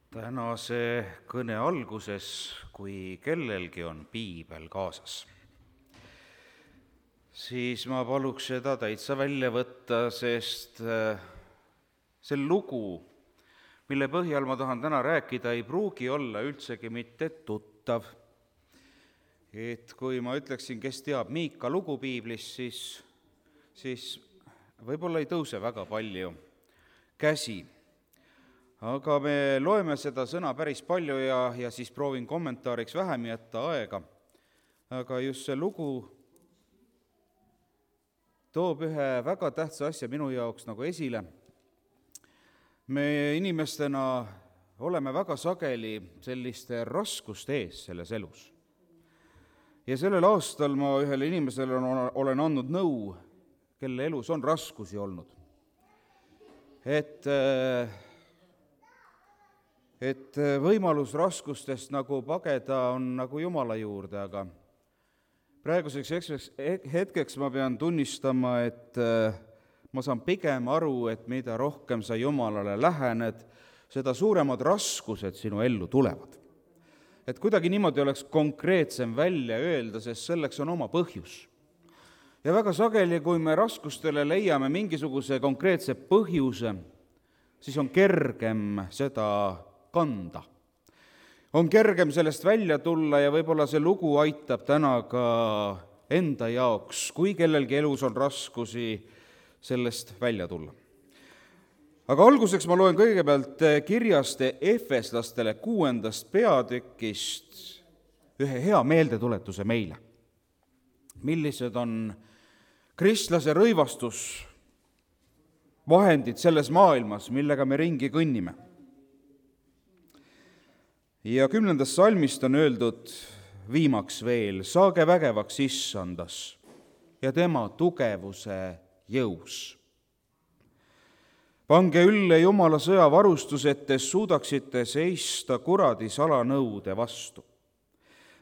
Tänase kõne alguses, kui kellelgi on piibel kaasas, siis ma paluks seda täitsa välja võtta, sest see lugu, mille põhjal ma tahan täna rääkida, ei pruugi olla üldsegi mitte tuttav. Et kui ma ütleksin, kes teab Miika lugu piiblist, siis võib-olla ei tõuse väga palju käsi. Aga me loeme seda sõna päris palju ja siis proovin kommentaariks vähem jätta aega. Aga just see lugu toob ühe väga tähtsa asja minu jaoks nagu esile. Me inimestena oleme väga sageli selliste raskuste ees selles elus. Ja sellel aastal ma ühele inimesele olen andnud nõu, kelle elus on raskusi olnud. Et võimalus raskustest nagu pageda on nagu Jumala juurde, aga praeguseks hetkeks ma pean tunnistama, et ma saan pigem aru, et mida rohkem sa Jumalale lähened, seda suuremad raskused sinu ellu tulevad. Et kuidagi niimoodi oleks konkreetsem välja öelda, sest selleks on oma põhjus. Ja väga sageli, kui me raskustele leiame mingisuguse konkreetse põhjuse, siis on kergem seda kanda. On kergem sellest välja tulla ja võib-olla see lugu aitab täna ka enda jaoks, kui kellelgi elus on raskusi, sellest välja tulla. Aga alguseks ma loen kõigepealt kirjast Efeslastele 6. peatükist ühe hea meeldetuletuse meile. Millised on kristlase rõivastus vahendid selles maailmas, millega me ringi kõnnime. Ja 10. salmist on öeldud viimaks veel, saage vägevaks issandas ja tema tugevuse jõus. Pange ülle Jumala sõjavarustus, et te suudaksite seista kuradi salanõude vastu.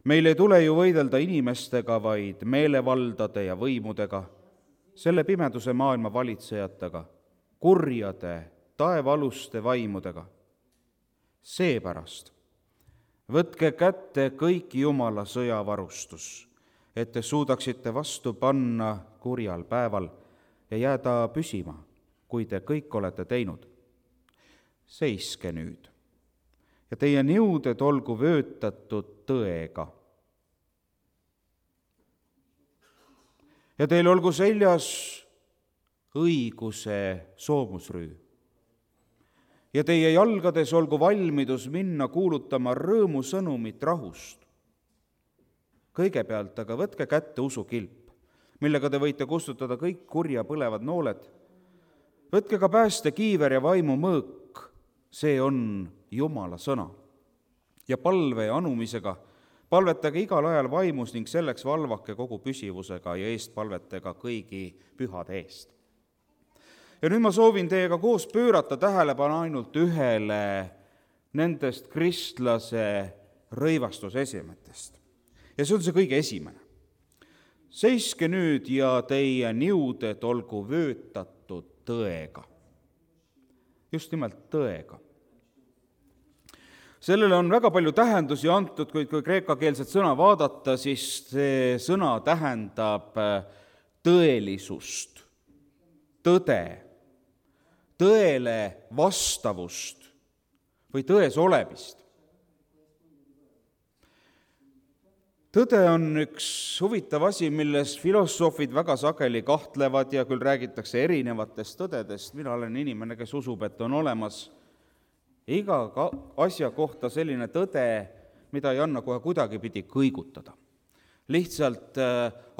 Meil ei tule ju võidelda inimestega, vaid meelevaldade ja võimudega, selle pimeduse maailma valitsejatega, kurjade, taevaaluste vaimudega. Seepärast võtke kätte kõik Jumala sõjavarustus, et te suudaksite vastu panna kurjal päeval ja jääda püsima, kui te kõik olete teinud. Seiske nüüd ja teie niuded olgu vöötatud tõega. Ja teil olgu seljas õiguse soomusrüü. Ja teie jalgades olgu valmidus minna kuulutama rõõmusõnumit rahust. Kõigepealt aga võtke kätte usukilp, millega te võite kustutada kõik kurja põlevad nooled. Võtke ka päästekiiver ja vaimu mõõk, see on Jumala sõna. Ja palve ja anumisega palvetage igal ajal vaimus ning selleks valvake kogu püsivusega ja eestpalvetega kõigi pühade eest. Ja nüüd ma soovin teiega koos pöörata tähelepanu ainult ühele nendest kristlase rõivastusesemetest. Ja see on see kõige esimene. Seiske nüüd ja teie niuded olgu vöötatud tõega. Just nimelt tõega. Sellele on väga palju tähendusi antud, kuid kui kreekakeelset sõna vaadata, siis see sõna tähendab tõelisust, tõde, tõele vastavust või tões olemist. Tõde on üks huvitav asi, milles filosoofid väga sageli kahtlevad ja küll räägitakse erinevatest tõdedest. Mina olen inimene, kes usub, et on olemas iga asja kohta selline tõde, mida ei anna kohe kuidagipidi kõigutada. Lihtsalt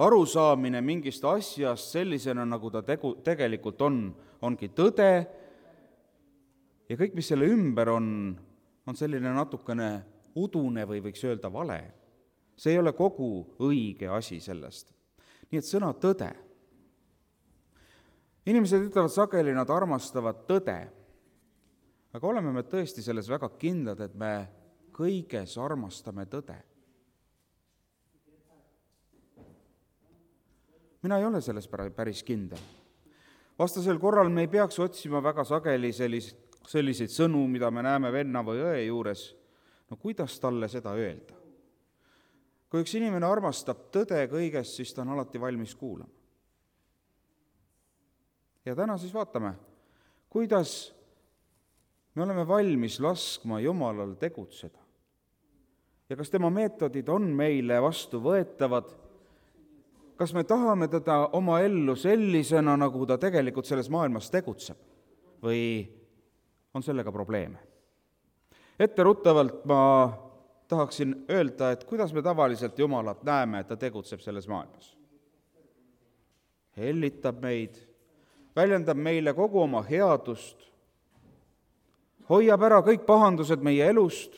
arusaamine mingist asjast sellisena, nagu ta tegelikult ongi tõde ja kõik, mis selle ümber on selline natukene udune või võiks öelda vale. See ei ole kogu õige asi sellest. Nii et sõna tõde. Inimesed ütlevad sageli, nad armastavad tõde, aga oleme me tõesti selles väga kindlad, et me kõiges armastame tõde. Mina ei ole selles päris kindel. Vastasel korral me ei peaks otsima väga sageli sellist selliseid sõnu, mida me näeme venna või õe juures, no kuidas talle seda öelda? Kui üks inimene armastab tõde kõigest, siis ta on alati valmis kuulama. Ja täna siis vaatame, kuidas me oleme valmis laskma Jumalal tegutseda. Ja kas tema meetodid on meile vastuvõetavad? Kas me tahame teda oma ellu sellisena, nagu ta tegelikult selles maailmas tegutseb? Või on sellega probleeme? Etteruttavalt ma tahaksin öelda, et kuidas me tavaliselt Jumalat näeme, et ta tegutseb selles maailmas. Hellitab meid, väljendab meile kogu oma headust, hoiab ära kõik pahandused meie elust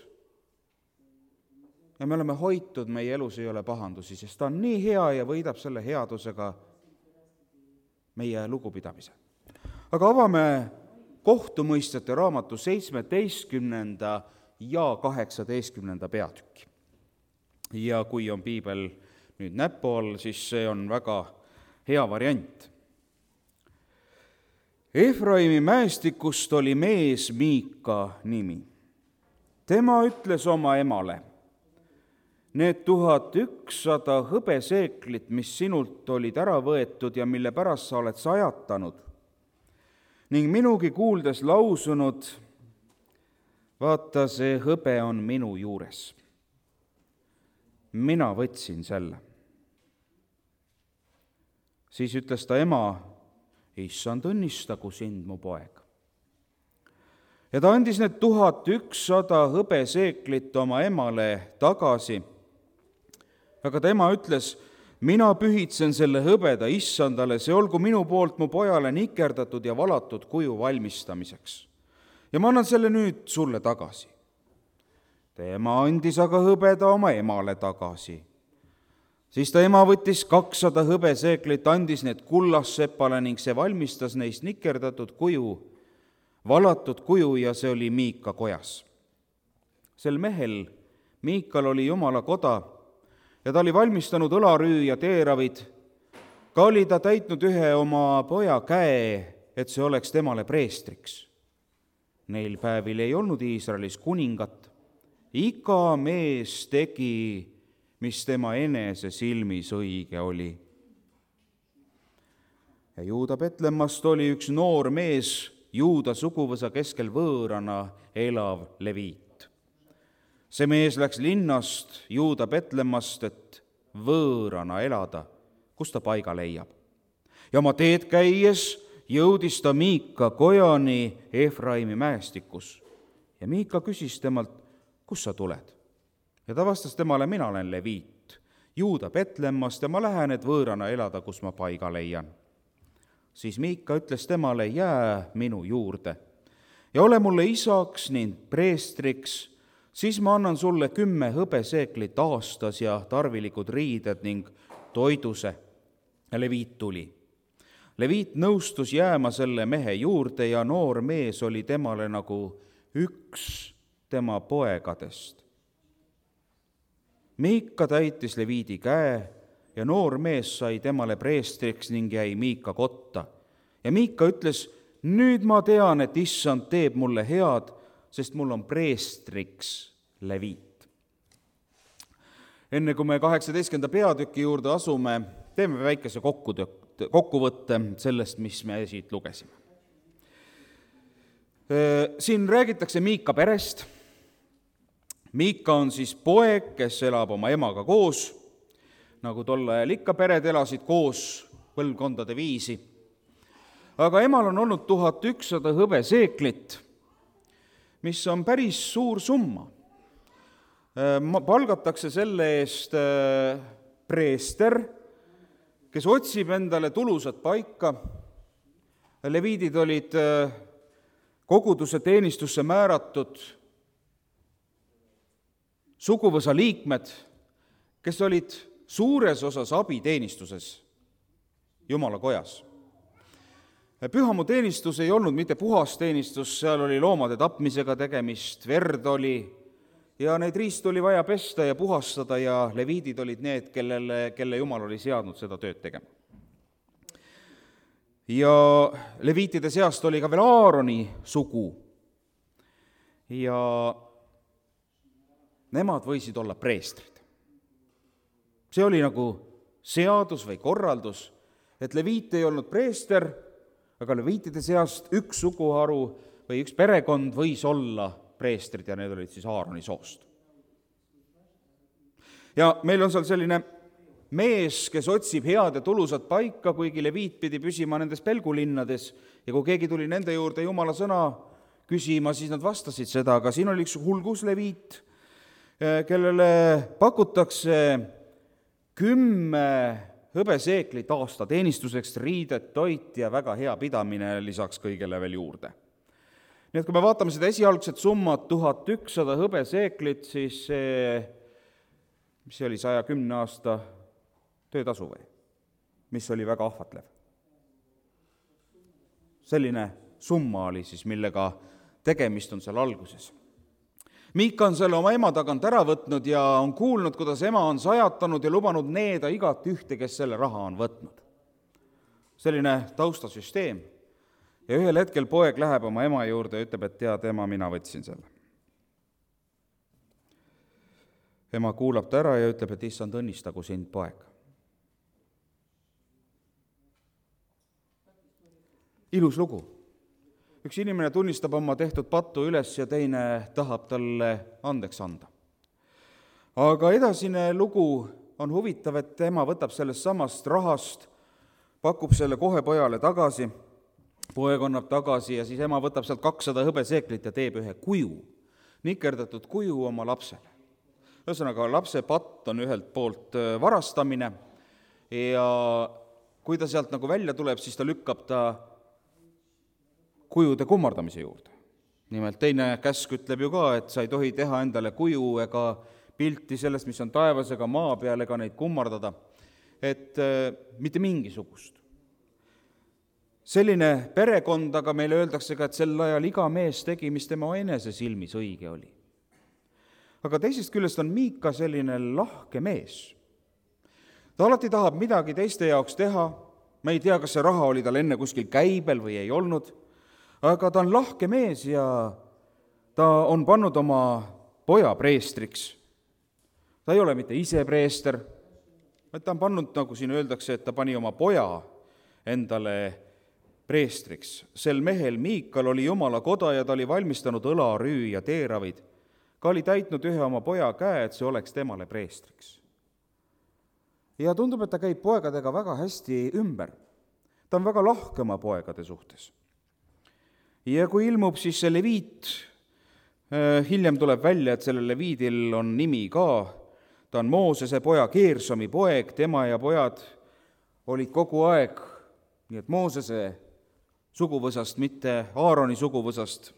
ja me oleme hoitud, meie elus ei ole pahandusi, sest ta on nii hea ja võidab selle headusega meie lugupidamise. Aga avame kohtumõistjate raamatu 17. ja 18. peatükki. Ja kui on piibel nüüd näpu all, siis see on väga hea variant. Efraimi mäestikust oli mees Miika nimi. Tema ütles oma emale, need 1100 hõbeseeklit, mis sinult olid ära võetud ja mille pärast sa oled sajatanud, ning minugi kuuldes lausunud, vaata, see hõbe on minu juures. Mina võtsin selle. Siis ütles ta ema, issand, õnnistagu sind, mu poeg. Ja ta andis need 1100 hõbeseeklit oma emale tagasi. Aga ta ema ütles, mina pühitsen selle hõbeda issandale, see olgu minu poolt mu pojale nikerdatud ja valatud kuju valmistamiseks. Ja ma annan selle nüüd sulle tagasi. Tema andis aga hõbeda oma emale tagasi. Siis ta ema võttis 200 hõbeseeklit, andis need kullassepale ning see valmistas neist nikerdatud kuju, valatud kuju ja see oli Miika kojas. Sel mehel, Miikal, oli Jumala koda ja ta oli valmistanud õlarüü ja teeravid. Ka oli ta täitnud ühe oma poja käe, et see oleks temale preestriks. Neil päevil ei olnud Iisraelis kuningat. Iga mees tegi, mis tema enese silmis õige oli. Ja Juuda Betlemmast oli üks noor mees, Juuda suguvõsa keskel võõrana elav leviit. See mees läks linnast Juuda Betlemmast, et võõrana elada, kus ta paiga leiab. Ja oma teed käies jõudis ta Miika kojani Efraimi mäestikus. Ja Miika küsis temalt, kus sa tuled? Ja ta vastas temale, mina olen leviit, Juuda Betlemmast ja ma lähen, et võõrana elada, kus ma paiga leian. Siis Miika ütles temale, jää minu juurde ja ole mulle isaks ning preestriks, siis ma annan sulle 10 hõbeseeklit aastas ja tarvilikud riided ning toiduse. Ja leviit tuli. Leviit nõustus jääma selle mehe juurde ja noor mees oli temale nagu üks tema poegadest. Miika täitis leviidi käe ja noor mees sai temale preestriks ning jäi Miika kotta. Ja Miika ütles, nüüd ma tean, et issand teeb mulle head, sest mul on preestriks leviit. Enne kui me 18. peatüki juurde asume, teeme väikese kokkuvõtte sellest, mis me siit lugesime. Siin räägitakse Miika perest. Miika on siis poeg, kes elab oma emaga koos, nagu tol ajal ikka pered elasid koos põlvkondade viisi. Aga emal on olnud 1100 hõbeseeklit, mis on päris suur summa. Palgatakse selle eest preester, kes otsib endale tulusat paika. Leviidid olid koguduse teenistusse määratud suguvõsa liikmed, kes olid suures osas abiteenistuses Jumala kojas. Pühamu teenistus ei olnud mitte puhas teenistus, seal oli loomade tapmisega tegemist, verd oli ja neid riist oli vaja pesta ja puhastada ja leviidid olid need, kelle Jumal oli seadnud seda tööd tegema. Ja leviitide seast oli ka veel Aaroni sugu, ja nemad võisid olla preestrid. See oli nagu seadus või korraldus, et leviit ei olnud preester, aga leviitide seast üks suguharu või üks perekond võis olla preestrid ja need olid siis Aaroni soost. Ja meil on seal selline mees, kes otsib head ja tulusat paika, kuigi leviit pidi püsima nendes pelgulinnades ja kui keegi tuli nende juurde jumala sõna küsima, siis nad vastasid seda, aga siin oli üks hulgusleviit, kellele pakutakse 10 hõbeseeklit aastateenistuseks, riidet, toit ja väga hea pidamine lisaks kõigele veel juurde. Nii et kui me vaatame seda esialgset summat 1100 hõbeseeklit, siis mis oli 110 aasta töötasu või? Mis oli väga ahvatlev. Selline summa oli siis, millega tegemist on seal alguses. Miika on selle oma ema tagant ära võtnud ja on kuulnud, kuidas ema on sajatanud ja lubanud needa igat ühte, kes selle raha on võtnud. Selline taustasüsteem. Ja ühel hetkel poeg läheb oma ema juurde ja ütleb, et tead, ema, mina võtsin selle. Ema kuulab ta ära ja ütleb, et issand, õnnistagu sind, poeg. Ilus lugu. Üks inimene tunnistab oma tehtud pattu üles ja teine tahab talle andeks anda. Aga edasine lugu on huvitav, et ema võtab sellest samast rahast, pakub selle kohe pojale tagasi, poeg annab tagasi ja siis ema võtab sealt 200 hõbeseeklit ja teeb ühe kuju, nikerdatud kuju oma lapsele. Ühesõnaga, lapse patt on ühelt poolt varastamine ja kui ta sealt nagu välja tuleb, siis ta lükkab ta kujude kummardamise juurde. Nimelt teine käsk ütleb ju ka, et sa ei tohi teha endale kuju ega pilti sellest, mis on taevas ega maa peal, ega neid kummardada, et mitte mingisugust. Selline perekond, aga meile öeldakse ka, et sel ajal iga mees tegi, mis tema enese silmis õige oli. Aga teisest küljest on Miika selline lahke mees. Ta alati tahab midagi teiste jaoks teha, me ei tea, kas see raha oli tal enne kuskil käibel või ei olnud, aga ta on lahke mees ja ta on pannud oma poja preestriks. Ta ei ole mitte ise preester, vaid ta on pannud, nagu siin öeldakse, et ta pani oma poja endale preestriks. Sel mehel Miikal oli Jumala koda ja ta oli valmistanud õlarüü ja teeravid. Ka oli täitnud ühe oma poja käe, et see oleks temale preestriks. Ja tundub, et ta käib poegadega väga hästi ümber. Ta on väga lahke oma poegade suhtes. Ja kui ilmub siis see leviit, hiljem tuleb välja, et sellel leviidil on nimi ka, ta on Moosese poja Geersomi poeg, tema ja pojad olid kogu aeg, nii et Moosese suguvõsast, mitte Aaroni suguvõsast.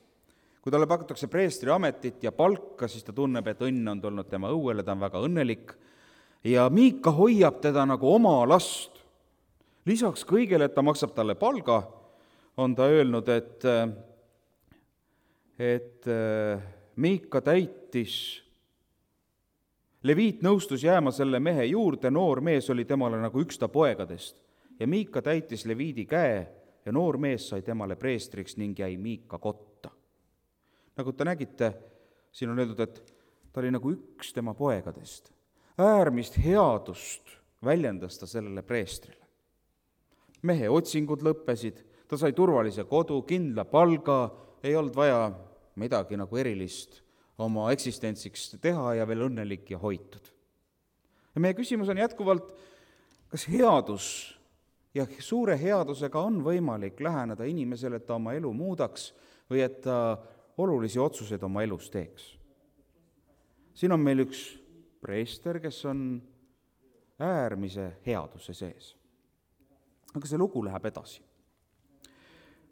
Kui talle pakutakse preestri ametit ja palka, siis ta tunneb, et õnn on tulnud tema õuele, ta on väga õnnelik ja Miika hoiab teda nagu oma last. Lisaks kõigele, et ta maksab talle palga, on ta öelnud, et Miika täitis, leviit nõustus jääma selle mehe juurde, noor mees oli temale nagu üks ta poegadest ja Miika täitis leviidi käe ja noor mees sai temale preestriks ning jäi Miika kotta. Nagu te nägite, siin on öeldud, et ta oli nagu üks tema poegadest. Äärmist headust väljendas ta sellele preestrile. Mehe otsingud lõppesid, ta sai turvalise kodu, kindla palga, ei olnud vaja midagi nagu erilist oma eksistentsiks teha ja veel õnnelik ja hoitud. Ja meie küsimus on jätkuvalt, kas headus ja suure headusega on võimalik läheneda inimesele, et ta oma elu muudaks või et ta olulisi otsuseid oma elus teeks. Siin on meil üks preester, kes on äärmise headuse sees. Aga see lugu läheb edasi.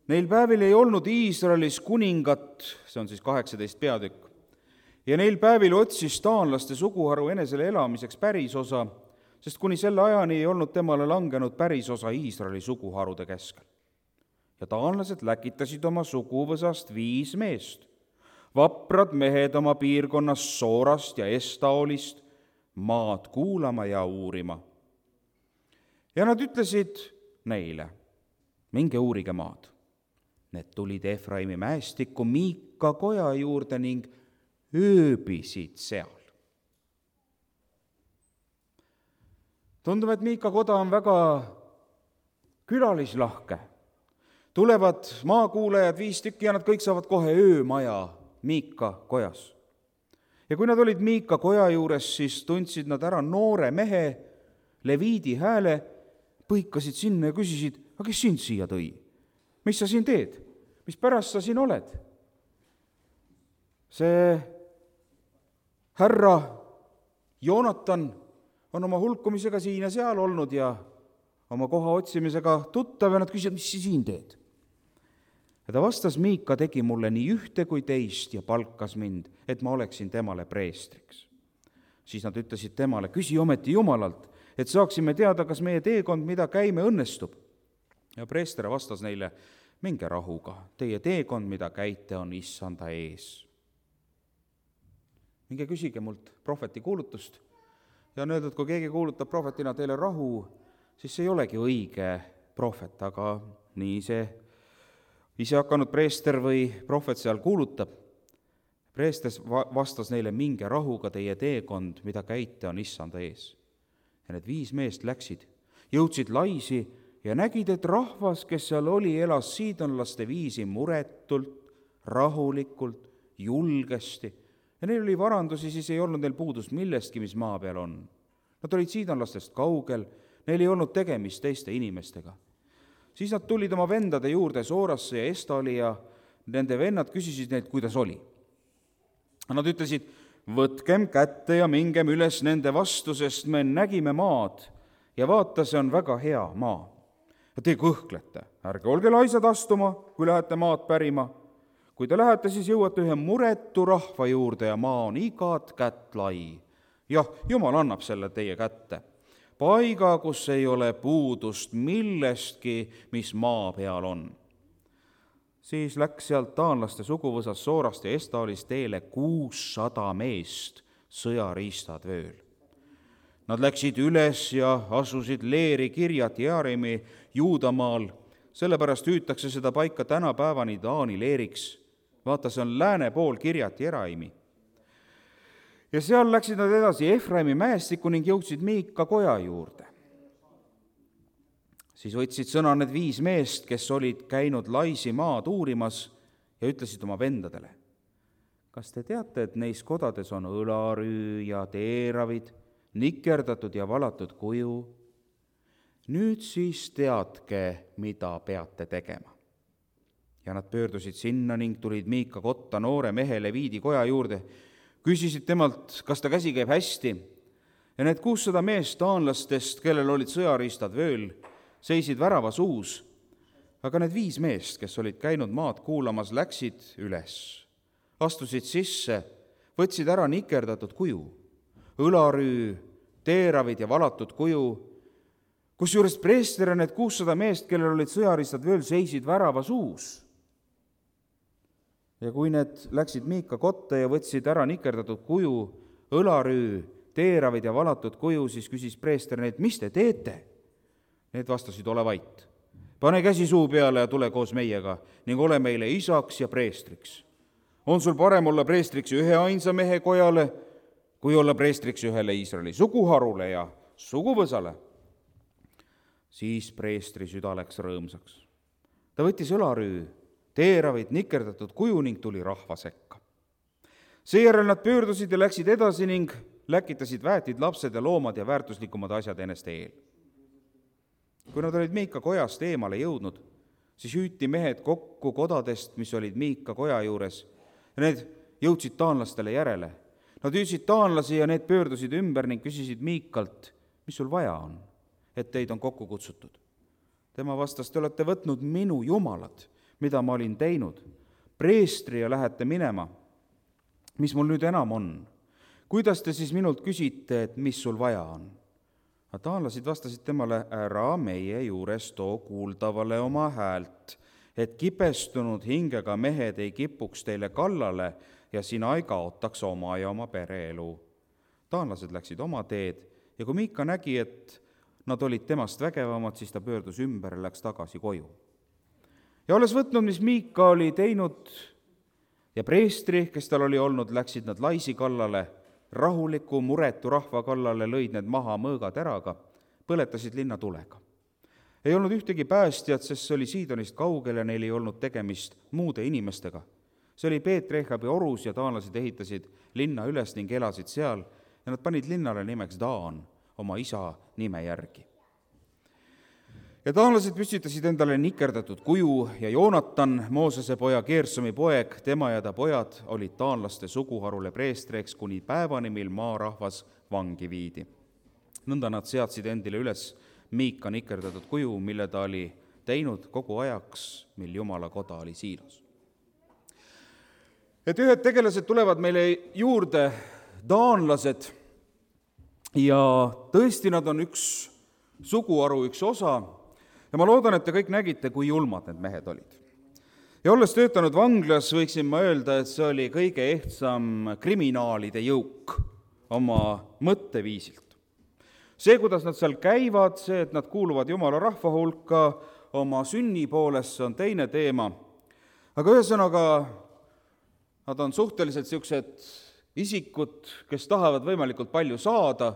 Neil päevil ei olnud Iisraelis kuningat, see on siis 18 peatükk, ja neil päevil otsis taanlaste suguharu enesele elamiseks pärisosa, sest kuni selle ajani ei olnud temale langenud pärisosa Iisraeli suguharude keskel. Ja taanlased läkitasid oma suguvõsast 5 meest, vaprad mehed oma piirkonnas Soorast ja Estaolist, maad kuulama ja uurima. Ja nad ütlesid neile, minge uurige maad. Need tulid Efraimi mäestikku Miika koja juurde ning ööbisid seal. Tundub, et Miika koda on väga külalislahke. Tulevad maakuulajad 5 tükki ja nad kõik saavad kohe öömaja Miika kojas. Ja kui nad olid Miika koja juures, siis tundsid nad ära noore mehe leviidi hääle, põikasid sinna ja küsisid, aga kes sind siia tõi? Mis sa siin teed? Mis pärast sa siin oled? See härra Joonatan on oma hulkumisega siin ja seal olnud ja oma koha otsimisega tuttav ja nad küsivad, mis sa siin teed? Ja ta vastas, Miika tegi mulle nii ühte kui teist ja palkas mind, et ma oleksin temale preestriks. Siis nad ütlesid temale, küsi ometi Jumalalt, et saaksime teada, kas meie teekond, mida käime, õnnestub. Ja preester vastas neile, minge rahuga, teie teekond, mida käite, on issanda ees. Minge küsige mult prohveti kuulutust ja on öeldud, kui keegi kuulutab prohvetina teile rahu, siis see ei olegi õige prohvet, aga nii see ise hakanud preester või prohvet seal kuulutab. Preester vastas neile, minge rahuga, teie teekond, mida käite, on issanda ees. Ja need 5 meest läksid, jõudsid Laisi ja nägid, et rahvas, kes seal oli, elas siidonlaste viisi muretult, rahulikult, julgesti. Ja neil oli varandusi, siis ei olnud neil puudust millestki, mis maa peal on. Nad olid siidonlastest kaugel, neil ei olnud tegemist teiste inimestega. Siis nad tulid oma vendade juurde Soorasse ja Estali ja nende vennad küsisid neilt, kuidas oli. Nad ütlesid, võtkem kätte ja mingem üles nende vastu, sest me nägime maad ja vaata, see on väga hea maa. Ja te kõhklete, ärge olge laisad astuma, kui lähete maad pärima. Kui te lähete, siis jõuate ühe muretu rahva juurde ja maa on igat kätt lai. Jah, Jumal annab selle teie kätte. Paiga, kus ei ole puudust millestki, mis maa peal on. Siis läks sealt taanlaste suguvõsas Soorast ja Estalist teele 600 meest, sõjariistad vööl. Nad läksid üles ja asusid leeri Kirjat Jearimi Juudamaal, sellepärast hüütakse seda paika tänapäevani Taani leeriks. Vaata, see on lääne pool Kirjat Jearimi. Ja seal läksid nad edasi Efraimi mäestikku ning jõudsid Miika koja juurde. Siis võtsid sõna need 5 meest, kes olid käinud Laisi maad uurimas ja ütlesid oma vendadele, kas te teate, et neis kodades on õlarüü ja teeravid, nikerdatud ja valatud kuju? Nüüd siis teadke, mida peate tegema. Ja nad pöördusid sinna ning tulid Miika kotta noore mehe Leviidi koja juurde, küsisid temalt, kas ta käsi käib hästi, ja need 600 meest taanlastest, kellel olid sõjariistad vööl, seisid väravas uus, aga need 5 meest, kes olid käinud maad kuulamas, läksid üles, astusid sisse, võtsid ära nikerdatud kuju, õlarüü, teeravid ja valatud kuju, kusjuures preester ja need 600 meest, kellel olid sõjariistad vööl, seisid väravas uus. Ja kui need läksid Miika kotta ja võtsid ära nikerdatud kuju, õlarüü, teeravid ja valatud kuju, siis küsis preester neilt, mis te teete? Need vastasid, ole vait. Pane käsi suu peale ja tule koos meiega ning ole meile isaks ja preestriks. On sul parem olla preestriks ühe ainsa mehe kojale, kui olla preestriks ühele Iisraeli suguharule ja suguvõsale? Siis preestri süda läks rõõmsaks. Ta võttis õlarüü, teeravid, nikerdatud kuju ning tuli rahva sekka. Seejärel nad pöördusid ja läksid edasi ning läkitasid väetid, lapsed ja loomad ja väärtuslikumad asjad ennast eel. Kui nad olid Miika kojast eemale jõudnud, siis hüüti mehed kokku kodadest, mis olid Miika koja juures, ja need jõudsid taanlastele järele. Nad hüüdsid taanlasi ja need pöördusid ümber ning küsisid Miikalt, mis sul vaja on, et teid on kokku kutsutud. Tema vastas, te olete võtnud minu jumalad, mida ma olin teinud, preestri ja lähete minema. Mis mul nüüd enam on? Kuidas te siis minult küsite, et mis sul vaja on? Taanlasid vastasid temale, ära meie juures too kuuldavale oma häält, et kibestunud hingega mehed ei kipuks teile kallale ja sina ei kaotaks oma ja oma pereelu. Taanlased läksid oma teed ja kui Miika nägi, et nad olid temast vägevamad, siis ta pöördus ümber ja läks tagasi koju. Ja olles võtnud, mis Miika oli teinud, ja preestri, kes tal oli olnud, läksid nad laisi kallale, rahuliku, muretu rahva kallale, lõid need maha mõõgateraga, põletasid linna tulega. Ei olnud ühtegi päästjat, sest see oli Siidonist kaugel ja neil ei olnud tegemist muude inimestega. See oli Peet-Rehabi orus ja taanlased ehitasid linna üles ning elasid seal ja nad panid linnale nimeks Daan oma isa nime järgi. Ja taanlased püstitasid endale nikerdatud kuju ja Joonatan, Moosese poja Geersomi poeg, tema ja ta pojad olid taanlaste suguharule preestriks kuni päevani, mil maarahvas vangi viidi. Nõnda nad seadsid endile üles Miika nikerdatud kuju, mille ta oli teinud kogu ajaks, mil Jumala koda oli Siilos. Et ühed tegelased tulevad meile juurde, taanlased, ja tõesti nad on üks suguharu, üks osa, ja ma loodan, et te kõik nägite, kui julmad need mehed olid. Ja olles töötanud vanglas, võiksin ma öelda, et see oli kõige ehtsam kriminaalide jõuk oma mõtteviisilt. See, kuidas nad seal käivad, see, et nad kuuluvad Jumala rahva hulka oma sünni poolest, see on teine teema. Aga ühesõnaga, nad on suhteliselt niisugused isikud, kes tahavad võimalikult palju saada,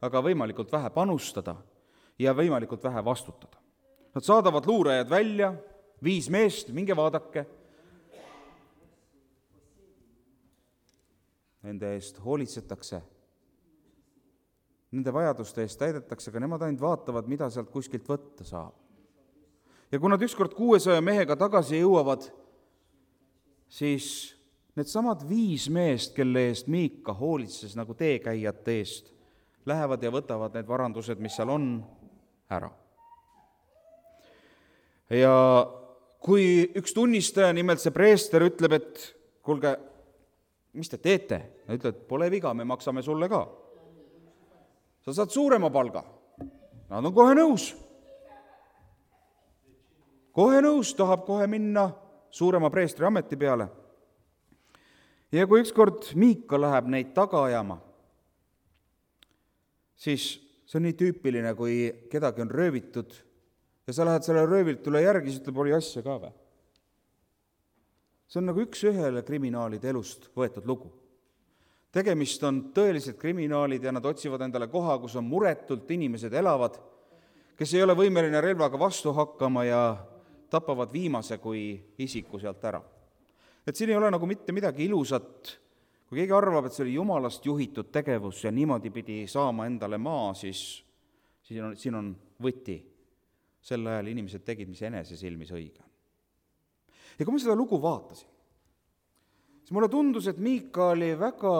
aga võimalikult vähe panustada ja võimalikult vähe vastutada. Nad saadavad luurajad välja, 5 meest, minge vaadake. Nende eest hoolitsetakse, nende vajaduste eest täidetakse, aga nemad ainult vaatavad, mida sealt kuskilt võtta saab. Ja kui nad ükskord 600 mehega tagasi jõuavad, siis need samad 5 meest, kelle eest Miika hoolitses nagu teekäijate eest, lähevad ja võtavad need varandused, mis seal on, ära. Ja kui üks tunnistaja, nimelt see preester, ütleb, et kuulge, mis te teete? Ja ütleb, et pole viga, me maksame sulle ka. Sa saad suurema palga. Nad on kohe nõus. Kohe nõus, tahab kohe minna suurema preestri ameti peale. Ja kui ükskord Miika läheb neid taga ajama, siis see on nii tüüpiline, kui kedagi on röövitud ja sa lähed selle röövitule järgi, siis ütleb, oli asja ka või? See on nagu üks ühele kriminaalide elust võetud lugu. Tegemist on tõelised kriminaalid ja nad otsivad endale koha, kus on muretult inimesed elavad, kes ei ole võimeline relvaga vastu hakkama ja tapavad viimase kui isiku sealt ära. Et siin ei ole nagu mitte midagi ilusat. Kui keegi arvab, et see oli Jumalast juhitud tegevus ja niimoodi pidi saama endale maa, siis siin on võti. Sel ajal inimesed tegid, mis enese silmis õige. Ja kui ma seda lugu vaatasin, siis mulle tundus, et Miika oli väga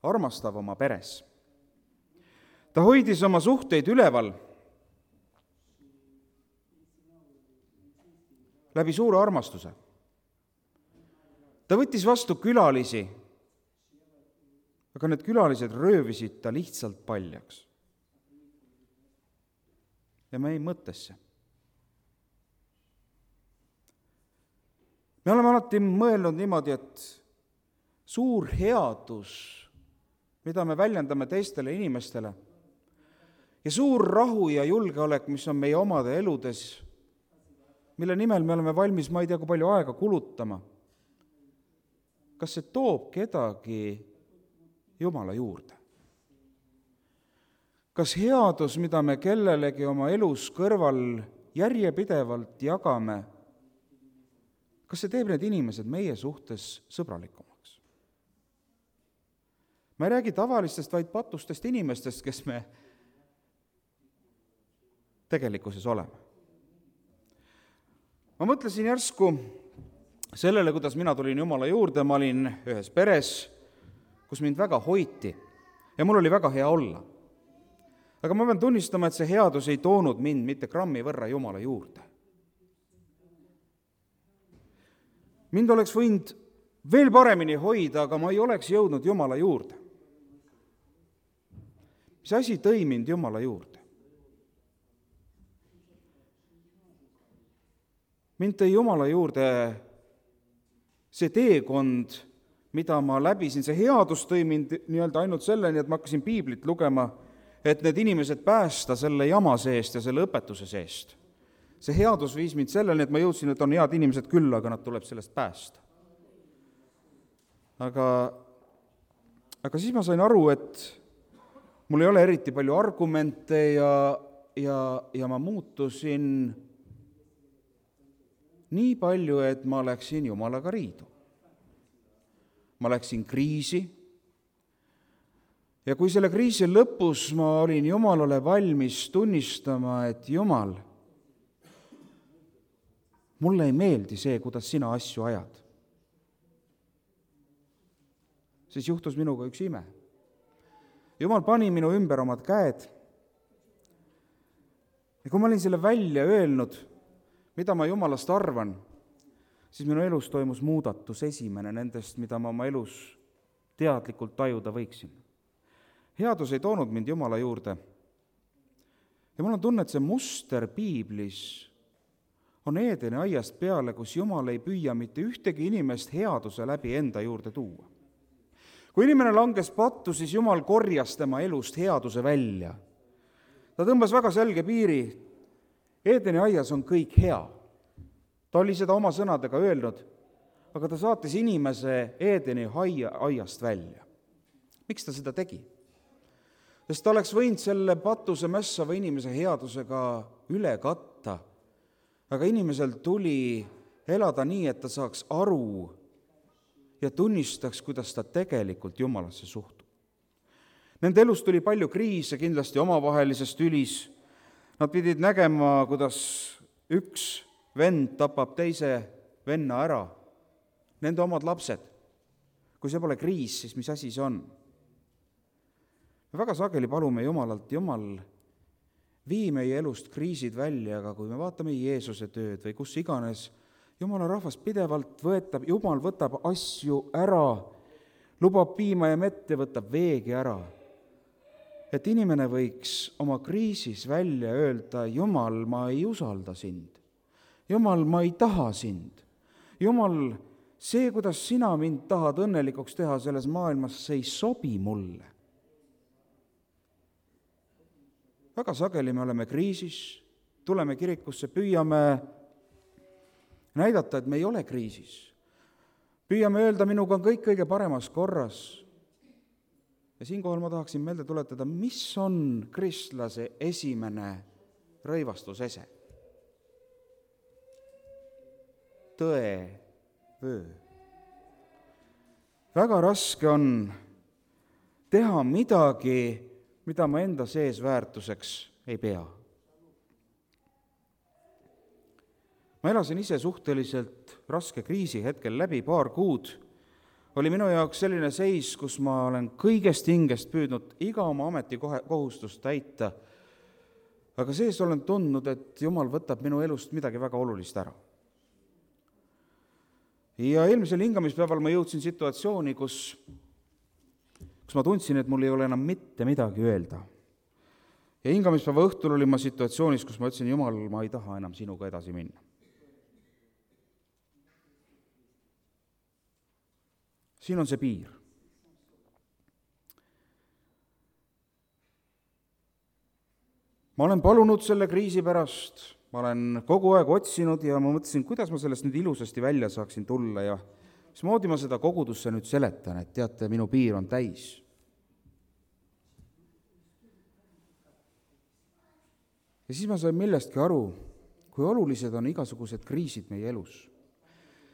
armastav oma peres. Ta hoidis oma suhteid üleval läbi suure armastuse. Ta võttis vastu külalisi, aga need külalised röövisid ta lihtsalt paljaks. Ja me ei mõttesse. Me oleme alati mõelnud niimoodi, et suur headus, mida me väljendame teistele inimestele, ja suur rahu ja julgeolek, mis on meie omade eludes, mille nimel me oleme valmis, ma ei tea, kui palju aega kulutama, kas see toob kedagi Jumala juurde? Kas headus, mida me kellelegi oma elus kõrval järjepidevalt jagame, kas see teeb need inimesed meie suhtes sõbralikumaks? Ma ei räägi tavalistest, vaid patustest inimestest, kes me tegelikkuses oleme. Ma mõtlesin järsku sellele, kuidas mina tulin Jumala juurde, ma olin ühes peres, kus mind väga hoiti ja mul oli väga hea olla. Aga ma pean tunnistama, et see headus ei toonud mind mitte grammi võrra Jumala juurde. Mind oleks võinud veel paremini hoida, aga ma ei oleks jõudnud Jumala juurde. Mis asi tõi mind Jumala juurde? Mind tõi Jumala juurde see teekond, mida ma läbisin. See headus tõi mind nii-öelda ainult selleni, et ma hakkasin piiblit lugema, et need inimesed päästa selle jama seest ja selle õpetuse seest. see headus viis mind selleni, et ma jõudsin, et on head inimesed küll, aga nad tuleb sellest päästa. Aga siis ma sain aru, et mul ei ole eriti palju argumente ja ma muutusin nii palju, et ma läksin Jumalaga riidu. Ma läksin kriisi ja kui selle kriisi lõpus ma olin Jumalale valmis tunnistama, et Jumal, mulle ei meeldi see, kuidas sina asju ajad, siis juhtus minuga üks ime. Jumal pani minu ümber omad käed ja kui ma olin selle välja öelnud, mida ma Jumalast arvan, siis minu elus toimus muudatus, esimene nendest, mida ma oma elus teadlikult tajuda võiksin. Headus ei toonud mind Jumala juurde. Ja mul on tunne, et see muster piiblis on Eedeni aiast peale, kus Jumal ei püüa mitte ühtegi inimest headuse läbi enda juurde tuua. Kui inimene langes pattu, siis Jumal korjas tema elust headuse välja. Ta tõmbas väga selge piiri. Eedeni aias on kõik hea. Ta oli seda oma sõnadega öelnud, aga ta saatis inimese Eedeni aiast välja. Miks ta seda tegi? Sest ta oleks võinud selle patuse mässava inimese headusega üle katta, aga inimesel tuli elada nii, et ta saaks aru ja tunnistaks, kuidas ta tegelikult Jumalasse suhtub. Nende elus tuli palju kriise, kindlasti omavahelises tülis. Nad pidid nägema, kuidas üks vend tapab teise venna ära, nende omad lapsed. Kui see pole kriis, siis mis asi see on? Me väga sageli palume Jumalalt, Jumal, vii meie elust kriisid välja, aga kui me vaatame Jeesuse tööd või kus iganes, Jumala rahvas pidevalt Jumal võtab asju ära, lubab piima ja mett ja võtab veegi ära. Et inimene võiks oma kriisis välja öelda, Jumal, ma ei usalda sind. Jumal, ma ei taha sind. Jumal, see, kuidas sina mind tahad õnnelikuks teha selles maailmas, see ei sobi mulle. Väga sageli me oleme kriisis, tuleme kirikusse, püüame näidata, et me ei ole kriisis. Püüame öelda, minuga on kõik kõige paremas korras. Ja siinkohal ma tahaksin meelde tuletada, mis on kristlase esimene rõivastusese. Tõe vöö. Väga raske on teha midagi, mida ma enda sees väärtuseks ei pea. Ma elasin ise suhteliselt raske kriisi hetkel läbi, 2 kuud. Oli minu jaoks selline seis, kus ma olen kõigest hingest püüdnud iga oma ametikohustust täita, aga sees olen tundnud, et Jumal võtab minu elust midagi väga olulist ära. Ja eelmisel hingamispäeval ma jõudsin situatsiooni, kus ma tundsin, et mul ei ole enam mitte midagi öelda. Ja hingamispäeva õhtul olin ma situatsioonis, kus ma ütlesin, Jumal, ma ei taha enam sinuga edasi minna. Siin on see piir. Ma olen palunud selle kriisi pärast, ma olen kogu aeg otsinud ja ma mõtlesin, kuidas ma sellest nüüd ilusasti välja saaksin tulla ja mismoodi ma seda kogudusse nüüd seletan, et teate, minu piir on täis. Ja siis ma sain millestki aru, kui olulised on igasugused kriisid meie elus.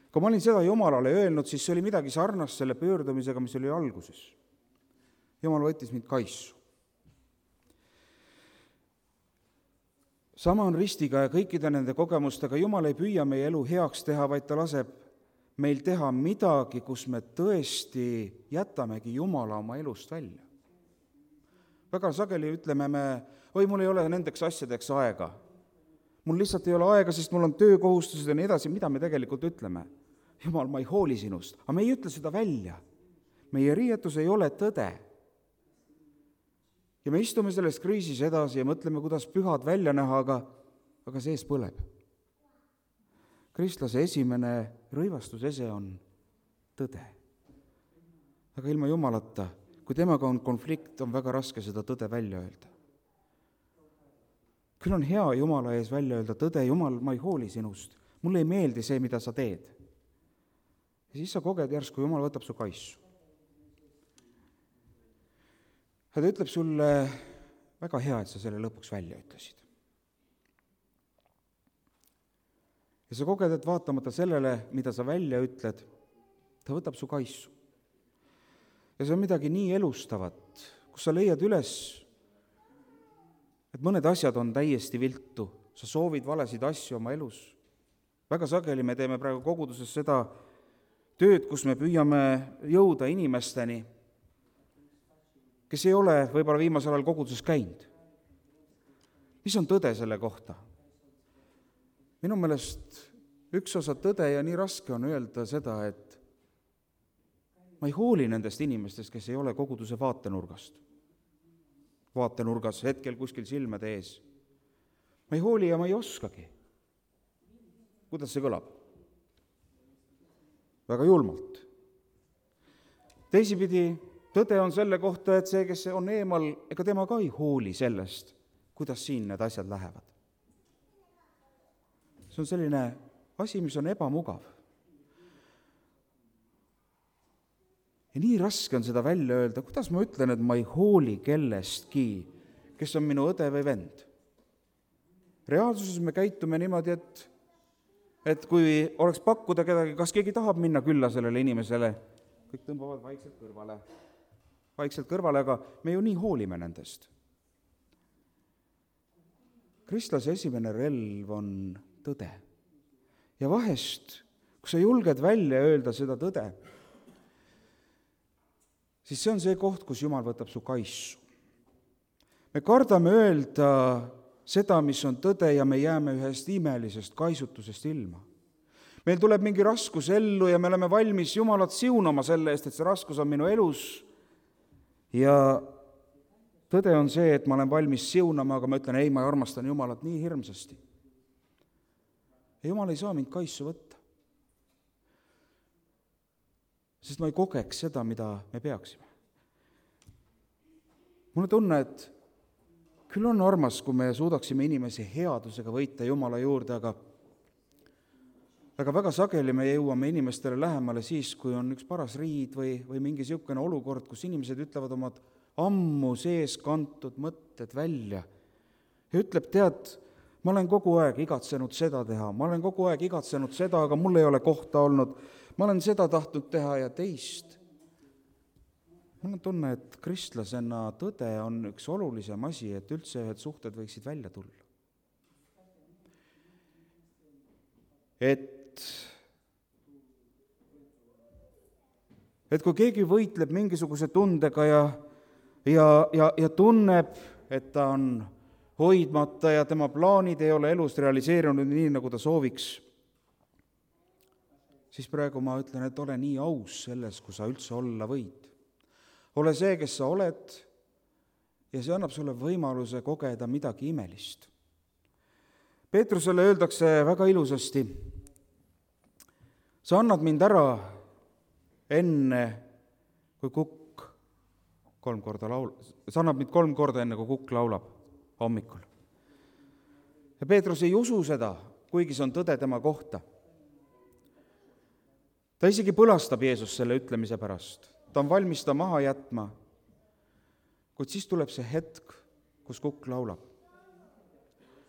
Kui ma olin seda Jumalale öelnud, siis see oli midagi sarnast selle pöördumisega, mis oli alguses. Jumal võttis mind kaisu. Sama on ristiga ja kõikide nende kogemustega. Jumal ei püüa meie elu heaks teha, vaid ta laseb meil teha midagi, kus me tõesti jätamegi Jumala oma elust välja. Väga sageli ütleme me, mul ei ole nendeks asjadeks aega. Mul lihtsalt ei ole aega, sest mul on töökohustused ja nii edasi, mida me tegelikult ütleme. Jumal, ma ei hooli sinust, aga me ei ütle seda välja. Meie riietus ei ole tõde. Ja me istume selles kriisis edasi ja mõtleme, kuidas pühad välja näha, aga sees põleb. Kristlase esimene rõivastusese on tõde. Aga ilma Jumalata, kui temaga on konflikt, on väga raske seda tõde välja öelda. Küll on hea Jumala ees välja öelda tõde, Jumal, ma ei hooli sinust, mulle ei meeldi see, mida sa teed. Ja siis sa koged järsku, Jumal võtab su kaisu. Ja ta ütleb sulle, väga hea, et sa selle lõpuks välja ütlesid. Ja sa koged, et vaatamata sellele, mida sa välja ütled, ta võtab su kaisu. Ja see on midagi nii elustavat, kus sa leiad üles, et mõned asjad on täiesti viltu, sa soovid valesid asju oma elus. Väga sageli me teeme praegu koguduses seda tööd, kus me püüame jõuda inimesteni, kes ei ole võib-olla viimasel ajal koguduses käinud. Mis on tõde selle kohta? Minu meelest üks osa tõde ja nii raske on öelda seda, et ma ei hooli nendest inimestest, kes ei ole koguduse vaatenurgas hetkel kuskil silmade ees. Ma ei hooli ja ma ei oskagi. Kuidas see kõlab? Väga julmalt. Teisipidi, tõde on selle kohta, et see, kes on eemal, ega tema ka ei hooli sellest, kuidas siin need asjad lähevad. See on selline asi, mis on ebamugav. Ja nii raske on seda välja öelda, kuidas ma ütlen, et ma ei hooli kellestki, kes on minu õde või vend. Reaalsuses me käitume niimoodi, et kui oleks pakkuda kedagi, kas keegi tahab minna külla sellele inimesele, kõik tõmbavad vaikselt kõrvale, aga me ju nii hoolime nendest. Kristlase esimene relv on tõde. Ja vahest, kui sa julged välja öelda seda tõde, siis see on see koht, kus Jumal võtab su kaisu. Me kardame öelda seda, mis on tõde, ja me jääme ühest imelisest kaisutusest ilma. Meil tuleb mingi raskus ellu ja me oleme valmis Jumalat siunama selle eest, et see raskus on minu elus. Ja tõde on see, et ma olen valmis siunama, aga ma ütlen, ei, ma armastan Jumalat nii hirmsasti. Ja Jumal ei saa mind kaisu võtta. Sest ma ei kogeks seda, mida me peaksime. Mulle tunne, et küll on armas, kui me suudaksime inimesi headusega võita Jumala juurde, aga väga sageli me jõuame inimestele lähemale siis, kui on üks paras riid või mingi niisugune olukord, kus inimesed ütlevad omad ammu sees kantud mõtted välja. Ja ütleb, tead, ma olen kogu aeg igatsenud seda teha, ma olen kogu aeg igatsenud seda, aga mul ei ole kohta olnud, ma olen seda tahtnud teha ja teist. Mul on tunne, et kristlasena tõde on üks olulisem asi, et üldse ühed suhted võiksid välja tulla. Et kui keegi võitleb mingisuguse tundega ja tunneb, et ta on hoidmata ja tema plaanid ei ole elus realiseerunud nii, nagu ta sooviks, siis praegu ma ütlen, et ole nii aus selles, kui sa üldse olla võid. Ole see, kes sa oled, ja see annab sulle võimaluse kogeda midagi imelist. Peetrusele öeldakse väga ilusasti, sa annad mind ära enne, kui kukk 3 korda sa annad mind 3 korda enne, kui kukk laulab hommikul. Ja Peetrus ei usu seda, kuigi see on tõde tema kohta. Ta isegi põlastab Jeesus selle ütlemise pärast. Ta on valmis ta maha jätma, kuid siis tuleb see hetk, kus kukk laulab.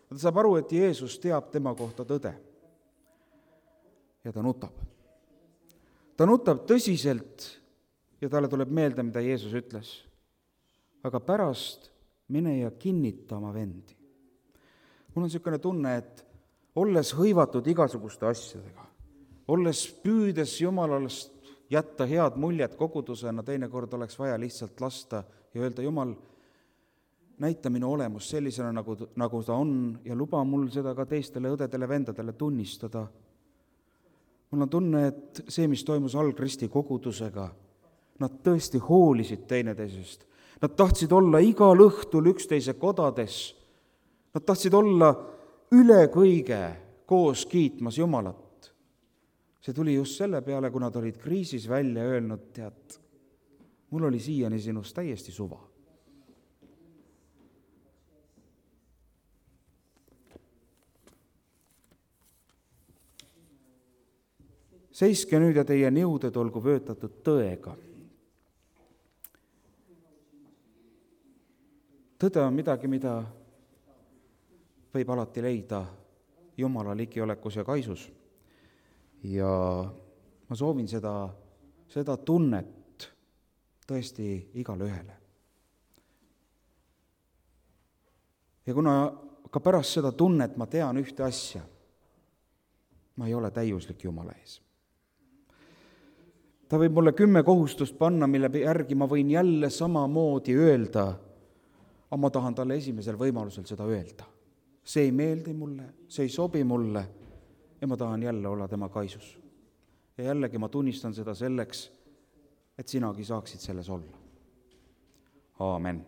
Ta saab aru, et Jeesus teab tema kohta tõde. Ja ta nutab. Ta nutab tõsiselt ja talle tuleb meelde, mida Jeesus ütles. Aga pärast mine ja kinnita oma vendi. Mul on niisugune tunne, et olles hõivatud igasuguste asjadega, olles püüdes Jumalast jätta head muljet kogudusena, teinekord oleks vaja lihtsalt lasta ja öelda, Jumal, näita minu olemus sellisena, nagu ta on, ja luba mul seda ka teistele õdedele, vendadele tunnistada. Mul on tunne, et see, mis toimus Algristi kogudusega, nad tõesti hoolisid teineteisest. Nad tahtsid olla igal õhtul üksteise kodades. Nad tahtsid olla üle kõige koos kiitmas Jumalat. See tuli just selle peale, kui nad olid kriisis välja öelnud, tead, mul oli siiani sinust täiesti suva. seiske nüüd ja teie niuded olgu vöötatud tõega. Tõde on midagi, mida võib alati leida Jumala ligiolekus ja kaisus. Ja ma soovin seda tunnet tõesti igale ühele. Ja kuna ka pärast seda tunnet ma tean ühte asja, ma ei ole täiuslik Jumala ees. Ta võib mulle 10 kohustust panna, mille järgi ma võin jälle samamoodi öelda, aga ma tahan talle esimesel võimalusel seda öelda. See ei meeldi mulle, see ei sobi mulle ja ma tahan jälle olla tema kaisus. Ja jällegi ma tunnistan seda selleks, et sinagi saaksid selles olla. Aamen.